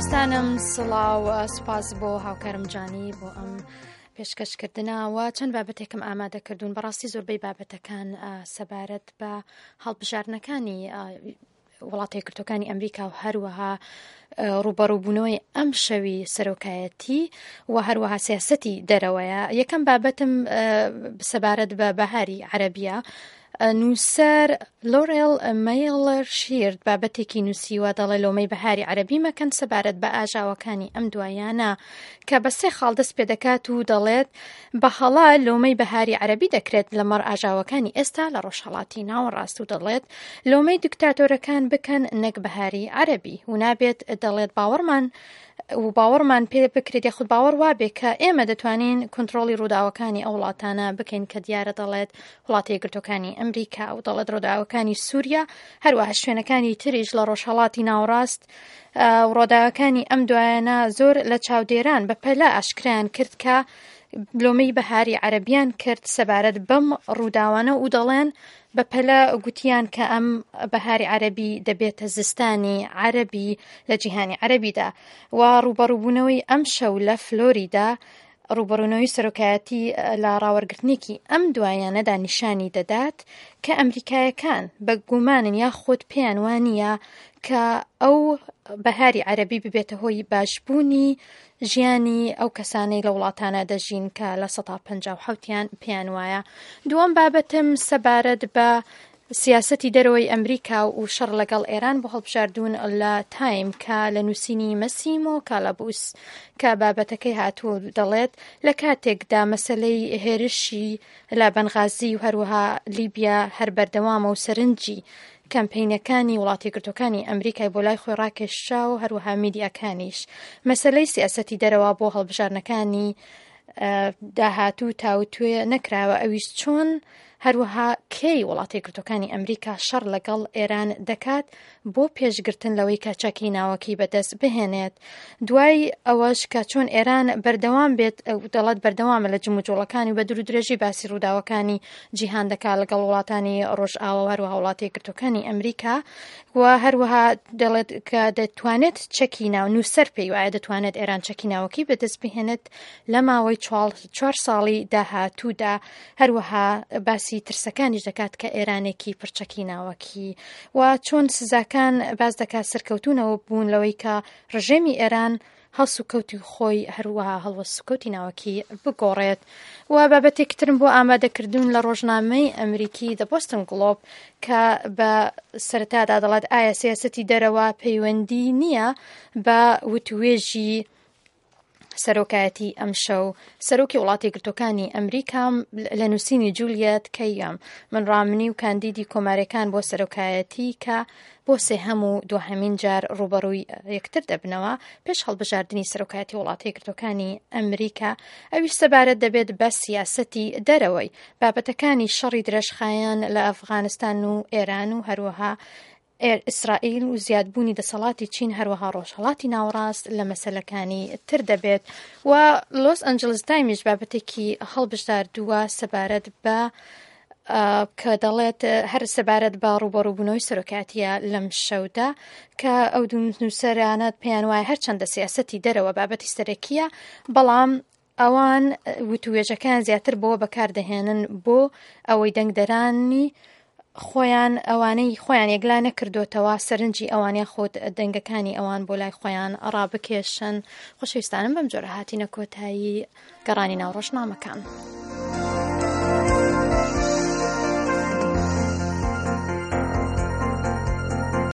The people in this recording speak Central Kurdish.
خۆشەویستانم سڵاو سوپاس بۆ هاوکارم جانی بۆ ئەم پێشکەشکردنەوە چەند بابەتێکم ئامادەکردوون بەڕاستی زۆربەی بابەتەکان سەبارەت بە هەڵبژاردنەکانی وڵاتە یەکگرتووەکانی ئەمریکا و هەروەها ڕووبەڕووبوونەوەی ئەم شەوی سەرۆکایەتی و هەروەها سیاسەتی دەرەوەیە یەکەم بابەتم سەبارەت بە بەهاری عەرەبیە نووسەر لۆرێل مەیڵەر شیرد بابەتێکی نووسیوە دەڵێ لۆمەی بەهاری عەرەبی مەکەن سەبارەت بە ئاژاوەکانی ئەم دوایانە کە بە سێ خاڵ دەست پێ دەکات و دەڵێت بە هەڵە لۆمەی بەهاری عەرەبی دەکرێت لەمەڕ ئاژاوەکانی ئێستا لە ڕۆژهەڵاتی ناوەڕاست و دەڵێت لۆمەی دیکتاتۆرەکان بکەن نەک بەهاری عەرەبی و نابێت دەڵێت باوەڕمان و باوەڕمان پێ بکرێت یاخود باوەڕ وابێ کە ئێمە دەتوانین کۆنترۆڵی ڕووداوەکانی ئەو وڵاتانە بکەین کە دیارە دەڵێت وڵاتە یەکگرتووەکانی ئەمریکا و دەڵێت ڕووداوەکانی سووریا هەروەها شوێنەکانی تریش لە ڕۆژهەڵاتی ناوەڕاست ڕووداوەکانی ئەم دوایانە زۆر لە چاودێران بە پەلە ئاشکرایان کرد کە لۆمەی بەهاری عەرەبیان کرد سەبارەت بەم ڕووداوانە و دەڵێن بە پەلە گوتیان کە ئەم بەهاری عەرەبی دەبێتە زستانی عەرەبی لە جیهانی عەرەبیدا و ڕووبەڕووبوونەوەی ئەم شەو لە فلۆریدا ڕووبەڕوونەوەی سەرۆکایەتی لە ڕاوەرگرتنێکی ئەم دوایانەدا نیشانی دەدات کە ئەمریکایەکان بە گومانن یاخود پێیان وانییە کە ئەو بەهاری عەرەبی ببێتە هۆی باشبوونی ژیانی ئەو کەسانەی لە وڵاتانە دەژین کە 57%یان پێیان وایە. دووەم بابەتم سەبارەت بە سیاسەتی دەرەوەی ئەمریکا و شەڕ لەگەڵ ئێران بۆ هەڵبژاردوون لە تایم کە لە نووسینی مەسیمۆ کالابوس کە بابەتەکەی هاتووە و دەڵێت لە کاتێکدا مەسەلەی هێرشی لە بەنغازی و هەروەها لیبیا هەر بەردەوامە و سەرنجی کەمپەینەکانی وڵاتە یەکگرتووەکانی ئەمریکای بۆ لای خۆی ڕاکێشا و هەروەها میدیاکانیش مەسەلەی سیاسەتی دەرەوە بۆ هەڵبژاردنەکانی داهاتوو تاوتوێ نەکراوە ئەویش چۆن هەروەها کەی وڵاتە یەکگرتووەکانی ئەمریکا شەڕ لەگەڵ ئێران دەکات بۆ پێشگرتن لەوەی کە چەکی ناوەکی بەدەست بهێنێت دوای ئەوەش کە چۆن ئێران بەردەوام بێت دەڵێت بەردەوامە لە جموجۆڵەکانی بە دوورودرێژی باسی ڕووداوەکانی جیهان دەکات لەگەڵ وڵاتانی ڕۆژئاوا و هەروەها وڵاتە یەکگرتووەکانی ئەمریکا و هەروەها دەڵێت کە دەتوانێت چەکی ناو نووسەر پێی وایە دەتوانێت ئێران چەکی ناوەکی بەدەست بهێنێت لە ماوەی چوار ساڵی داهاتوودا هەروەها باسی ترسەکانیش دەکات کە ئێرانێکی پڕچەکی ناوەکی و چۆن سزاکان باس دەکات سەرکەوتونەوە بوون لەوەی کە ڕژێمی ئێران هەڵسوکەوتی خۆی هەروەها هەڵوەسوکەوتی ناوەکی بگۆڕێت و بابەتێکی ترم بۆ ئامادەکردون لە ڕۆژنامەی ئەمریکی The Boston Globe کە بە سەرەتادا دەڵێت ئایا سیاسەتی دەرەوە پەیوەندی نییە بە وتوێژی سەرۆکایەتی ئەمشەو سەرۆکی وڵاتە یەکگرتووەکانی ئەمریکا لە نووسینی جولیەت کەیەم من ڕامنی و کاندیدی کۆمارەکان بۆ سەرۆکایەتی کە بۆ سێهەم و دوهەمین جار ڕووبەڕووی یەکتر دەبنەوە پێش هەڵبژاردنی سەرۆکایەتی وڵاتە یەکگرتووەکانی ئەمریکا ئەویش سەبارەت دەبێت بە سیاسەتی دەرەوەی بابەتەکانی شەڕی درێژخایەن لە ئەفغانستان و ئێران و هەروەها ئیسرائیل و زیادبوونی دەسەڵاتی چین هەروەها ڕۆژهەڵاتی ناوەڕاست لە مەسەلەکانی تر دەبێت و لۆس ئەنجلس تایمیش بابەتێکی هەڵبژاردووە سەبارەت بە کە دەڵێت هەر سەبارەت بە ڕوبەڕوبوونەوەی سەرۆکاتیە لەم شەودا کە ئەو دوو نووسەرانە پێیان وایە هەرچەندە سیاسەتی دەرەوە بابەتی سەرەکیە بەڵام ئەوان وتووێژەکەیان زیاتر بۆ بەکاردەهێنن بۆ ئەوەی دەنگدەرانی خۆیان ئەوانەی خۆیان یەکلا نەکردوتەوە سەرنجی ئەوان یاخود دەنگەکانی ئەوان بۆ لای خۆیان ڕابکێشن. خۆشەویستانم بەم جۆرە هاتینە کۆتایی گەڕانی ناو ڕۆژنامەکان.